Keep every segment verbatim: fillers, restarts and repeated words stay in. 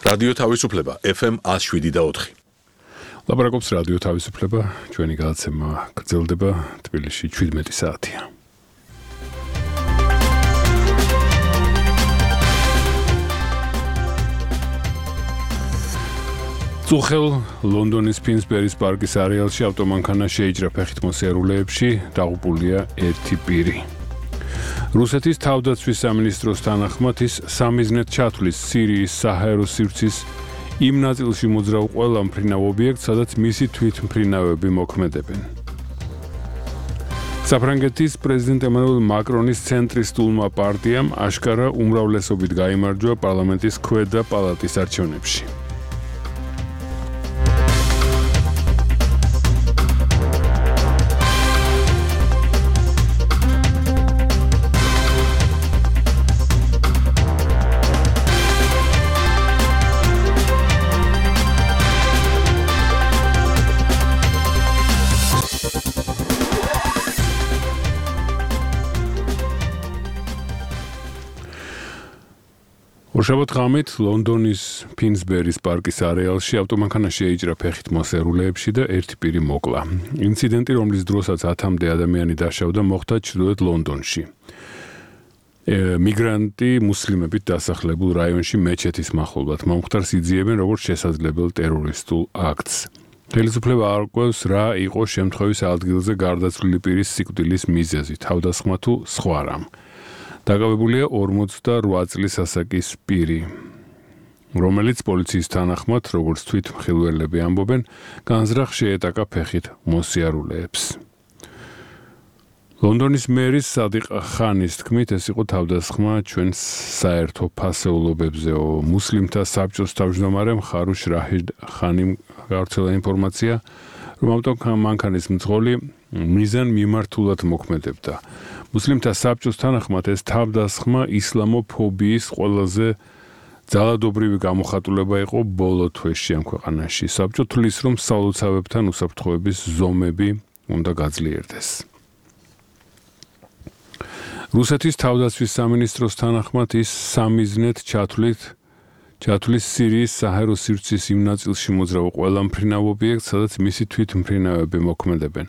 რადიო თავისუფლება F M one oh seven და four. ლაპარაკობს რადიო თავისუფლება, ჩვენი გადაცემა გრძელდება თბილისში seventeen საათია. წუხელ ლონდონის ფინსბერის პარკის არეალში ავტომანქანა შეიჭრა ფეხით მოსიარულეებში, დაღუპულია ერთი პირი. რუსეთის თავდაცვის სამინისტროს თანახმად ის სამიზნედ ჩათვლის სირიის საჰაერო სივრცის იმ ნაწილში მოძრავ ყველა მფრინავ ობიექტს, სადაც მისი თვითმფრინავები მოქმედებენ. საფრანგეთის პრეზიდენტ ემანუელ მაკრონის ცენტრისტულმა პარტიამ აშკარა უმრავლესობით გაიმარჯვა პარლამენტის ქვედა პალატის არჩევნებში. ორშაბათ ღამით ლონდონის ფინსბერის პარკის არეალში ავტომანქანა შეიჭრა ფეხით მოსიარულეებში და ერთი პირი მოკლა. ინციდენტი, რომლის დროსაც ათამდე ადამიანი დაშავდა, მოხდა ჩრდილოეთ ლონდონში. მიგრანტი მუსლიმებით დასახლებულ რაიონში მეჩეთის მახლობლად მომხდარს იძიებენ როგორც შესაძლებელ ტერორისტულ აქტს. ხელისუფლება არ ყვევს, რა იყო შემთხვევის ადგილზე გარდაცვლილი პირის სიკვდილის მიზეზი, თავდასხმა თუ სხვა რამ. დაკავებულია ორმოცდაოთხ წლის ასაკის პირი, რომელიც პოლიციის თანახმად, როგორც თვითმხილველები ამბობენ, განზრახ შეეტაკა ფეხით მოსიარულეებს. ლონდონის მერის სადიყ ხანის თქმით, ეს იყო თავდასხმა ჩვენ საერთო ფასეულობებზეო. მუსლიმთა საბჭოს თავმჯდომარემ ხარუშ რაჰიდ ხანიმ გავრცელა ინფორმაცია, რომ ავტომანქანის მძღოლი მიზან მიმართულად მოქმედებდა. მუსლიმთა საბჭოს თანახმად ეს თავდასხმა ისლამოფობიის ყველაზე ძალადობრივი გამოხატულება იყო ბოლო თვეში ამ ქვეყანაში. საბჭო თვლის, რომ სალოცავებთან უსაფრთხოების ზომები უნდა გაძლიერდეს. რუსეთის თავდაცვის სამინისტროს თანახმად ის სამიზნედ ჩათვლით ჩათვლის სირიის საჰაერო სივრცის იმ ნაწილში მოძრავ ყველა მფრინავ ობიექტს, სადაც მისი თვითმფრინავები მოქმედებენ.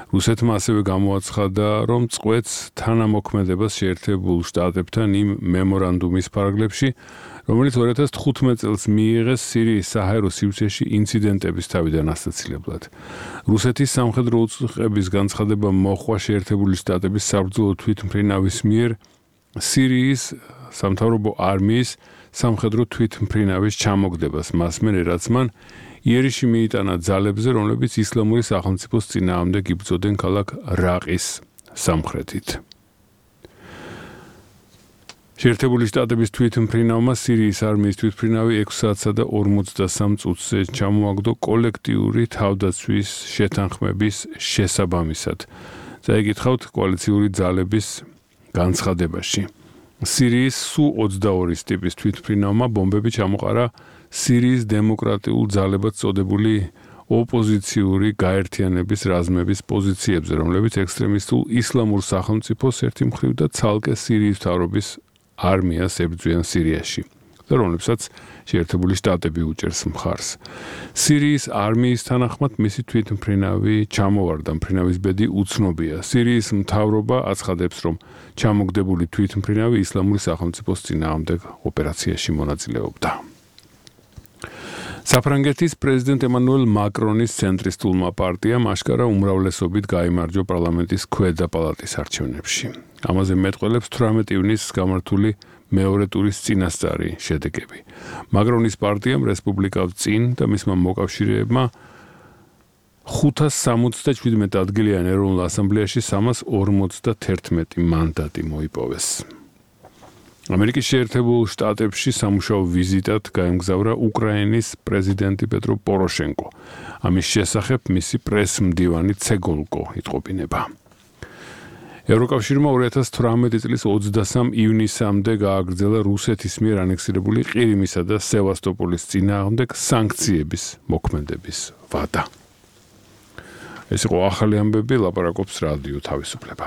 რუსეთმა ასევე გამოაცხადა, რომ წყვეტს თანამოქმედებას შეერთებულ შტატებთან იმ მემორანდუმის ფარგლებში, რომელიც two thousand fifteen წელს მიიღეს სირიის საჰაერო სივრცეში ინციდენტების თავიდან ასაცილებლად. რუსეთის სამხედრო უწყების განცხადება მოჰყვა შეერთებული შტატების საბრძოლო თვითმფრინავის მიერ სირიის სამთავრობო არმიის სამხედრო თვითმფრინავის ჩამოგდებას, მას მერე რაც მან იერიში მიიტანა ძალებზე, რომლებიც ისლამური სახელმწიფოს წინააღმდეგ იბრძოდნენ ქალაქ რაყის სამხრეთით. შეერთებული შტატების თვითმფრინავმა სირიის არმიის თვითმფრინავი ექვსი საათსა და ორმოცდასამ წუთზე ჩამოაგდო კოლექტიური თავდაცვის შეთანხმების შესაბამისად. წაიკითხავთ კოალიციური ძალების განცხადებაში. სირიის სუ ოცდაორის ტიპის თვითმფრინავმა ბომბები ჩამოყარა სირიის დემოკრატიულ ძალებად წოდებული ოპოზიციური გაერთიანების რაზმების პოზიციებზე, რომლებიც ექსტრემისტულ ისლამურ სახელმწიფოს ერთი მხრივ და ცალკე სირიის მთავრობის არმიას ებრძვიან სირიაში და რომლებსაც შეერთებული შტატები უჭერს მხარს. სირიის არმიის თანახმად მისი თვითმფრინავი ჩამოვარდა, მფრინავის ბედი უცნობია. სირიის მთავრობა აცხადებს, რომ ჩამოგდებული თვითმფრინავი ისლამური სახელმწიფოს წინააღმდეგ ოპერაციაში მონაწილეობდა. საფრანგეთის პრეზიდენტ ემანუელ მაკრონის ცენტრისტულმა პარტიამ აშკარა უმრავლესობით გაიმარჯვა პარლამენტის ქვედა პალატის არჩევნებში. ამაზე მეტყველებს თვრამეტი ივნისს გამართული მეორე ტურის წინასწარი შედეგები. მაკრონის პარტიამ რესპუბლიკავ წინ და მისმა მოკავშირეებმა ხუთას სამოცდაჩვიდმეტ ადგილიან ეროვნულ ასამბლეაში სამას ორმოცდაერთმეტი მანდატი მოიპოვეს. ამერიკის შეერთებულ შტატებში სამუშაო ვიზიტად გაემგზავრა უკრაინის პრეზიდენტი პეტრო პოროშენკო. ამის შესახებ მისი პრესმდივანი ცეგოლკო იტყობინება. ევროკავშირმა two thousand eighteen წლის ოცდასამ ივნისამდე გააგრძელა რუსეთის მიერ ანექსირებული ყირიმისა და სევასტოპოლის წინააღმდეგ სანქციების მოქმედების ვადა. ეს იყო ახალი ამბები, ლაპარაკობს რადიო თავისუფლება.